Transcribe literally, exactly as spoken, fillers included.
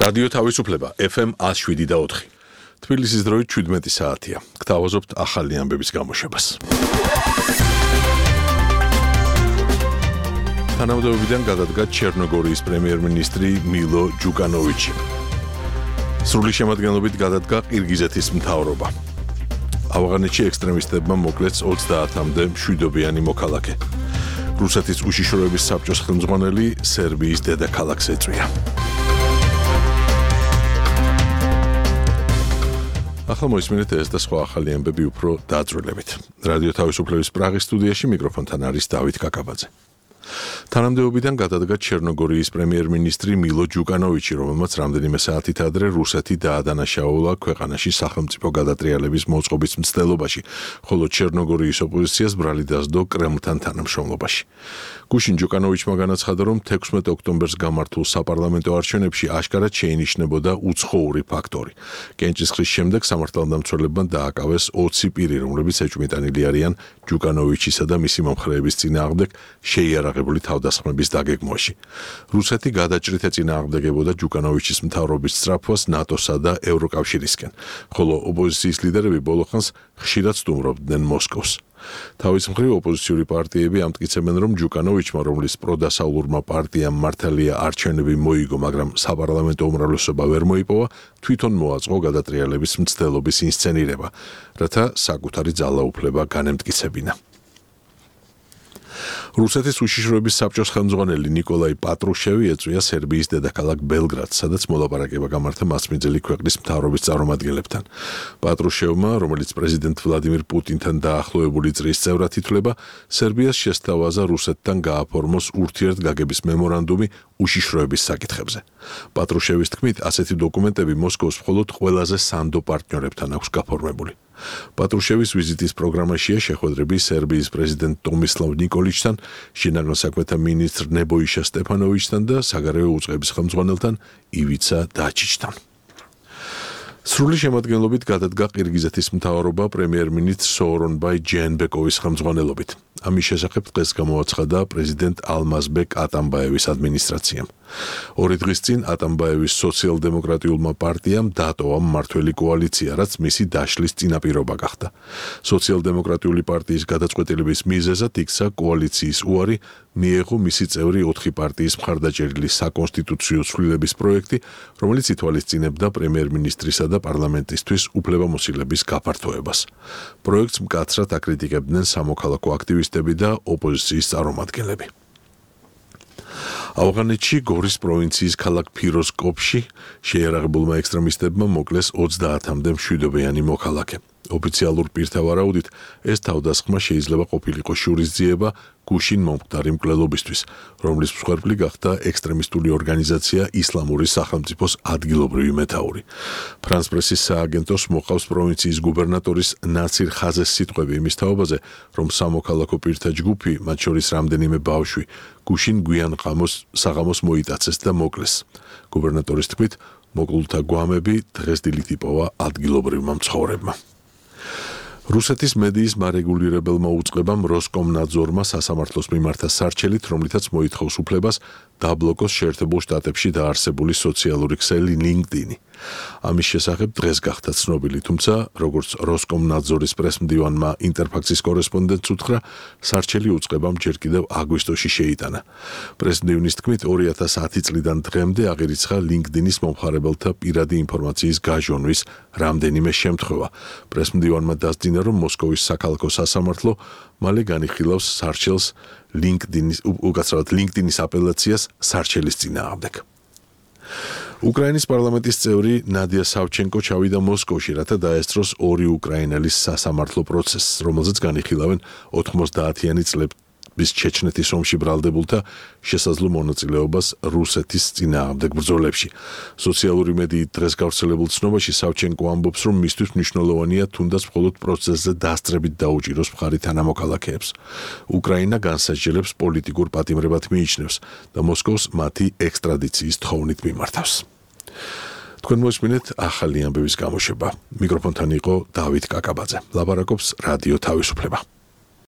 რადიო თავისუფლება ეფ ემ ათს შვიდი და ოთხი. თბილისის დროით შვიდმეტი საათია. გთავაზობთ ახალი ამბების გამოშვებას. თანამდებობიდან გადადგა ჩერნოგორიის პრემიერ-მინისტრი მილო ჯუკანოვიჩი. სრული შემადგენლობით გადადგა ყირგიზეთის მთავრობა. ავღანეთში ექსტრემისტებმა მოკლეს ოცდაათამდე მშვიდობიანი მოქალაქე. რუსეთის უშიშროების საბჭოს ხელმძღვანელი სერბიის დედაქალაქს ეწვია. ახლა მოისმინეთ ეს და სხვა ახალი ამბები უფრო დაძვრილებით. რადიო თავისუფლების პრაღის სტუდიაში მიკროფონთან არის დავით კაკაბაძე. თანამდებობიდან გადადგა ჩერნოგორიის პრემიერ-მინისტრი მილო ჯუკანოვიჩი, რომელმაც რამდენიმე საათით ადრე რუსეთი დაადანაშაულა ქვეყანაში სახელმწიფო გადატრიალების მოწყობის მცდელობაში, ხოლო ჩერნოგორიის ოპოზიციას ბრალი დასდო კრემლთან თანამშრომლობაში. გუშინ ჯუკანოვიჩმა განაცხადა, რომ თექვსმეტ ოქტომბერს გამართულ საპარლამენტო არჩევნებში აშკარად შეინიშნებოდა უცხოური ფაქტორი. კენჭისყრის შემდეგ სამართალდამცველებმა დააკავეს ოცი პირი, რომლებიც ეჭვმიტანილი არიან ჯუკანოვიჩისა და მისი მომხრეების წინააღმდეგ შეიარაღებული თავდასხმების დაგეგმვაში. რუსეთი გადაჭრით ეწინააღმდეგებოდა ჯუკანოვიჩის მთავრობის სწრაფვას ნატოსა და ევროკავშირისკენ, ხოლო ოპოზიციის ლიდერები ბოლოხანს ხშირად სტუმრობდნენ მოსკოვს. თავის მხრივ ოპოზიციური პარტიები ამტკიცებენ, რომ ჯუკანოვიჩმა, რომლის პროდასავლურმა პარტიამ მართალია არჩევნები მოიგო, მაგრამ საპარლამენტო უმრავლესობა ვერ მოიპოვა, თვითონ მოაწყო გადატრიალების მცდელობის ინსცენირება, რათა საკუთარი ძალაუფლება განემტკიცებინა. რუსეთის უშიშროების საბჭოს ხელმძღვანელი ნიკოლაი პატრუშევი ეწვია სერბიის დედაქალაქ ბელგრადს, სადაც მოლაპარაკება გამართა მასპინძელი ქვეყნის მთავრობის წარმომადგენლებთან. პატრუშევმა, რომელიც პრეზიდენტ ვლადიმირ პუტინთან დაახლოებული წრის წევრად ითვლება, სერბიას შესთავაზა რუსეთთან გააფორმოს ურთიერთგაგების მემორანდუმი უშიშროების საკითხებზე. პატრუშევის თქმით, ასეთი დოკუმენტები მოსკოვს მხოლოდ ყველაზე სანდო პარტნიორებთან აქვს გაფორმებული. პატრუშევის ვიზიტის პროგრამაშია შეხვედრები სერბიის პრეზიდენტ ტომისლავ ნიკოლიჩთან, შინაგან საქმეთა მინისტრ ნებოიშა სტეფანოვიჩთან და საგარეო უწყების ხელმძღვანელთან ივიცა დაჩიჩთან. სრული შემადგენლობით გადადგა ყირგიზეთის მთავრობა პრემიერ-მინისტრ სოორონბაი ჯეენბეკოვის ხელმძღვანელობით. ამის შესახებ დღეს გამოაცხადა პრეზიდენტ ალმაზბეკ ატამბაევის ადმინისტრაციამ. ორი დღის წინ ატამბაევის სოციალ-დემოკრატიულმა პარტიამ დატოვა მმართველი კოალიცია, რაც მისი დაშლის წინაპირობა გახდა. სოციალ-დემოკრატიული პარტიის გადაწყვეტილების მიზეზად იქცა კოალიციის უარი მიეღო მისი წევრი ოთხი პარტიის მხარდაჭერილი საკონსტიტუციო ცვლილების პროექტი, რომელიც ითვალისწინებდა პრემიერ-მინისტრისა და პარლამენტისთვის უფლებამოსილების გაფართოებას. პროექტს მკაცრად აკრიტიკებდნენ სამოქალაქო აქტივისტები და ოპოზიციის წარმომადგენლები. ავღანეთში გორის პროვინციის ქალაქ ფიროზკოპში შეიარაღებულმა ექსტრემისტებმა მოკლეს ოცდაათამდე მშვიდობიანი მოქალაქე. ოფიციალურ პირთა ვარაუდით, ეს თავდასხმა შეიძლება ყოფილიყო შურისძიება გუშინ მომხდარი მკვლელობისთვის, რომლის მსხვერპლი გახდა ექსტრემისტული ორგანიზაცია ისლამური სახელმწიფოს ადგილობრივი მეთაური. ფრანს პრესის სააგენტოს მოყავს პროვინციის გუბერნატორის ნაცირ ხაზეს სიტყვები იმის თაობაზე, რომ სამოქალაქო პირთა ჯგუფი, მათ შორის რამდენიმე ბავშვი, გუშინ გვიან ღამოს საღამოს მოიტაცეს და მოკლეს. გუბერნატორის თქმით, მოკლულთა გვამები დღეს დილით იპოვა ადგილობრივმა მცხოვრებმა. რუსეთის მედიის მარეგულირებელმა უწყებამ როსკომნაძორმა სასამართლოს მიმართა სარჩელით, რომლითაც მოითხოვს უფლებას დაბლოკოს შეერთებულ შტატებში დაარსებული სოციალური ქსელი ლინკდინი. ამის შესახებ დღეს გახდა ცნობილი, თუმცა, როგორც როსკომნაძორის პრესმდივანმა ინტერფაქსის კორესპონდენტს უთხრა, სარჩელი უწყებამ ჯერ კიდევ აგვისტოში შეიტანა. პრესმდივნის თქმით, ორი ათას ათი წლიდან დღემდე აღირიცხა ლინკდინის მომხმარებელთა პირადი ინფორმაციის გაჟონვის რამდენიმე შემთხვევა. პრესმდივანმა დასძინა, რომ მოსკოვის საქალაქო სასამართლო მალე განიხილავს სარჩელს ლინკდინის უკაცრავად ლინკდინის აპელაციას სარჩელის წინააღმდეგ. უკრაინის პარლამენტის წევრი ნადია სავჩენკო ჩავიდა მოსკოვში, რათა დაესწროს ორი უკრაინელის სასამართლო პროცესს, რომელზეც განიხილავენ ოთხმოცდაათიანი წლების ჩეჩნეთის ომში ბრალდებულთა შესაძლო მონაწილეობას რუსეთის წინააღმდეგ ბრძოლებში. სოციალური მედიით დღეს გავრცელებულ ცნობაში სავჩენკო ამბობს, რომ მისთვის მნიშვნელოვანია თუნდაც მხოლოდ პროცესზე დასწრებით დაუჭიროს მხარი თანამოქალაქეებს. უკრაინა განსაჯელებს პოლიტიკურ პატიმრებად მიიჩნევს და მოსკოვს მათი ექსტრადიციის თხოვნით მიმართავს. თქვენ მოსმინეთ ახალი ამბების გამოშვება. მიკროფონთან იყო დავით კაკაბაძე. ლაპარაკობს რადიო თავისუფლება.